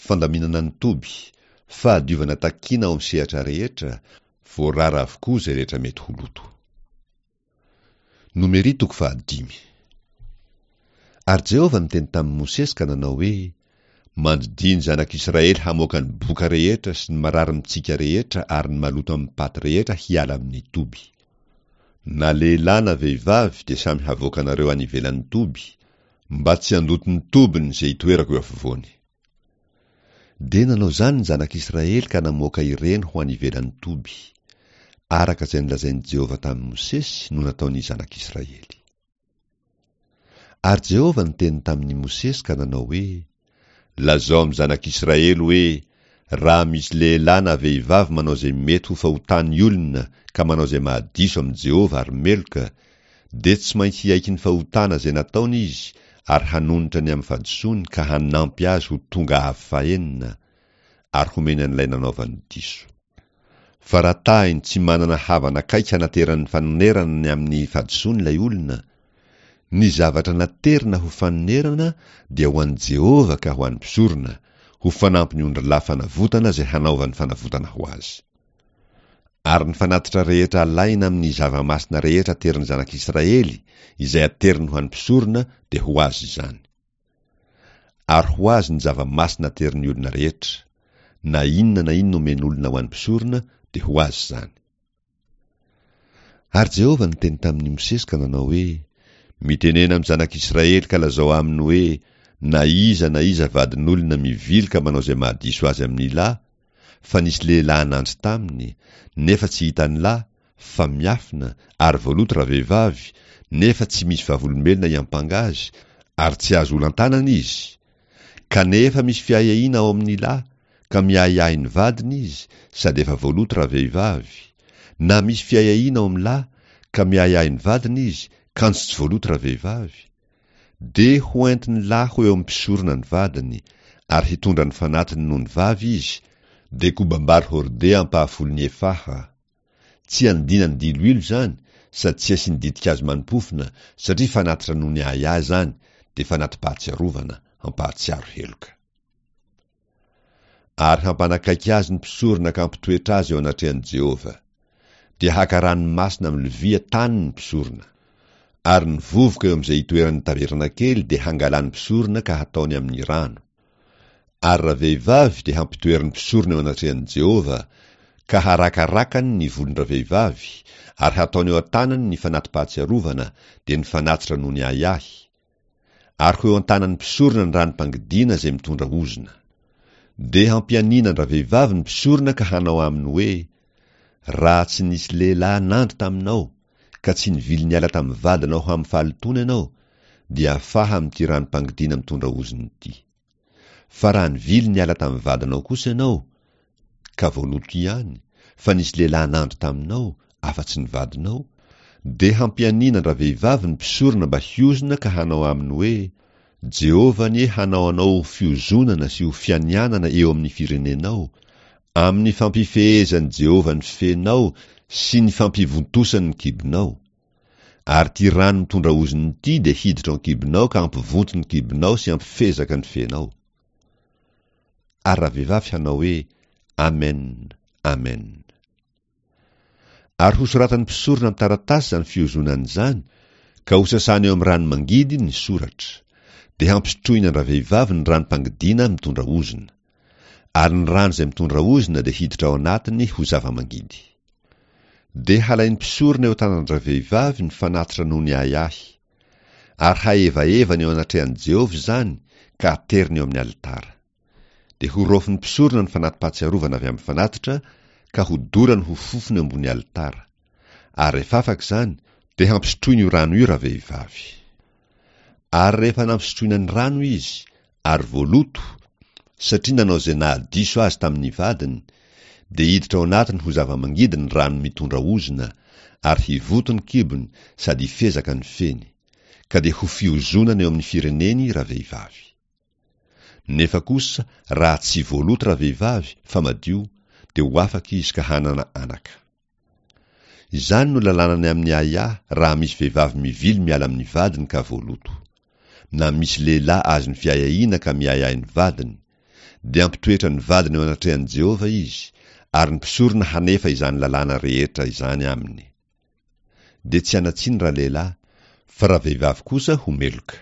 Fandaminana ny toby, fahadiovana takiana ao amin'ny sehatra rehetra, voarara avokoa izay rehetra mety ho loto. Nomery toko fahadimy. Ary Jehovah niteny tamin'i Mosesy ka nanao hoe, Mandidia ny zanak'Israely hamoaka ny boka rehetra sy ny marary mitsika rehetra ary ny maloto amim-paty rehetra hiala amin'ny toby. Na lehilahy na vehivavy dia samy havoakanareo any ivelan'ny toby, mba tsy handoto ny tobiny izay itoerako eo afovoany. Dia nanao izany ny zanak'Israely ka namoaka ireny ho any ivelan'ny toby. Araka izay nolazain'i Jehovah tamin'i Mosesy no nataon'ny zanak'Israely. Ary Jehovah niteny tamin'i Mosesy ka nanao hoe, Lazao amin'ny zanak'Israely hoe, 'Raha misy lehilahy na vehivavy manao izay mety ho fahotan'ny olona ka manao izay mahadiso amin'i Jehovah ary meloka, dia tsy maintsy hiaiky ny fahotana izay nataony izy ary hanonitra ny amin'ny fahadisoany ka hanampy azy ho tonga avo fahenina, ary homeny an'ilay nanaovany diso. Fa raha tahiny tsy manana havana akaiky hanaterany fanonerana ny amin'ny fahadisoany ilay olona, ny zavatra naterina ho fanonerana dia ho an'i Jehovah ka ho an'ny mpisorona, ho fanampin'ny ondrilahy fanavotana izay hanaovany fanavotana ho azy. Ary ny fanatitra rehetra alaina amin'ny zava-masina rehetra aterin'ny zanak'Israely, izay ateriny ho an'ny mpisorona, dia ho azy izany. Ary ho azy ny zava-masina aterin'ny olona rehetra. Na inona na inona omen'olona ho an'ny mpisorona, dia ho azy izany. Ary Jehovah niteny tamin'i Mosesy ka nanao hoe, Mitenena amin'ny zanak'Israely ka lazao aminy hoe, Na iza na iza vadin'olona mivily ka manao izay mahadiso azy amin'ny lahy, fa nisy lehilahy nandry taminy, nefa tsy hitan'ny lahy, fa miafina, ary voaloto ravehivavy, nefa tsy misy vavolombelona hiampanga azy, ary tsy azo olan-tanana izy, Kanefa misy fiahiahiana ao amin'ny lahy, ka miahiahy ny vadiny izy, sady efa voaloto ravehivavy, na misy fiahiahiana ao amin'ny lahy, ka miahiahy ny vadiny izy, kanjo tsy voaloto ravehivavy, dia ho entin'ny lahy ho eo amin'ny mpisorona ny vadiny, ary hitondra ny fanatiny noho ny vavy izy, dia kobam-bary hordea ampahafolon'ny efaha. Tsy anodinany diloilo izany sady tsy asiany ditin-kazo manimpofona satria fanatitra noho ny ahiahy izany dia fanati-pahatsiarovana hampahatsiaro heloka. Ary hampanakaiky azy ny mpisorona ka hampitoetra azy eo anatrehan'i Jehovah. Dia haka rano masina amin'ny lovia tany ny mpisorona. Ary ny vovoka eo amin'izay itoeran'ny tabernakely dia hangalan'ny mpisorona ka hataony amin'ny rano. Ary ravehivavy dia hampitoerin'ny mpisorona eo anatrehan'i Jehovah, ka harakarakany ny volon-dravehivavy, ary hataony eo an-tanany ny fanati-pahatsiarovana, dia ny fanatitra noho ny ahiahy. Ary ho eo an-tanan'ny mpisorona ny ranom-pangidiana izay mitondra ozona. Dia hampianiana an-dravehivavy ny mpisorona ka hanao aminy hoe, Raha tsy nisy lehilahy nandry taminao, ka tsy nivily niala tamin'ny vadinao ho amin'ny fahalotoana ianao, dia afaha amin'ity ranom-pangidiana mitondra ozona ity. Fa raha nivily niala tamin'ny vadinao kosa ianao, ka voaloto ihany, fa nisy lehilahy nandry taminao, afa-tsy ny vadinao, dia hampianiana an-dravehivavy ny mpisorona mba hiozona ka hanao aminy hoe, Jehovah anie hanao anao ho fiozonana sy ho fianianana eo amin'ny firenenao, amin'ny fampifehezan'i Jehovah ny fenao sy ny fampivontosany ny kibonao. Ary ity rano mitondra ozona ity dia hiditra ao an-kibonao ka hampivonto ny kibonao sy hampifezaka ny fenao. Ary ravehivavy hanao hoe, Amen, Amen. Ary hosoratan'ny mpisorona amin'ny taratasy izany fiozonana izany, ka hosasany eo amin'ny rano mangidy ny soratra. Dia hampisotroiny an-dravehivavy ny ranom-pangidiana mitondra ozona. Ary ny rano izay mitondra ozona dia hiditra ao anatiny ho zava-mangidy. Dia halain'ny mpisorona eo an-tanan-dravehivavy ny fanatitra noho ny ahiahy. Ary hahevahevany eo anatrehan'i Jehovah izany, ka ateriny eo amin'ny alitara. Dia horaofin'ny mpisorona ny fanati-pahatsiarovana avy amin'ny fanatitra, ka hodorany ho fofona eo ambony alitara. Ary rehefa afaka izany, dia hampisotroiny io rano io ravehivavy. Ary rehefa nampisotroina ny rano izy, ary voaloto, satria nanao izay nahadiso azy tamin'ny vadiny, dia hiditra ao anatiny ho zava-mangidy ny rano mitondra ozona, ary hivoto ny kibony sady hifezaka ny feny. Ka dia ho fiozonana eo amin'ny fireneny ravehivavy. Nefa kosa raha tsy voaloto ravehivavy fa madio dia ho afaka izy ka hanana anaka. Izany no lalàna ny amin'ny ahiahy raha misy vehivavy mivily miala amin'ny vadiny ka voaloto. Na misy lehilahy azon'ny fiahiahiana ka miahiahy ny vadiny. Dia hampitoetra ny vadiny eo anatrehan'i Jehovah izy, ary ny mpisorona hanefa izany lalàna rehetra izany aminy. Dia tsy hanan-tsiny ralehilahy, fa ravehivavy kosa ho meloka.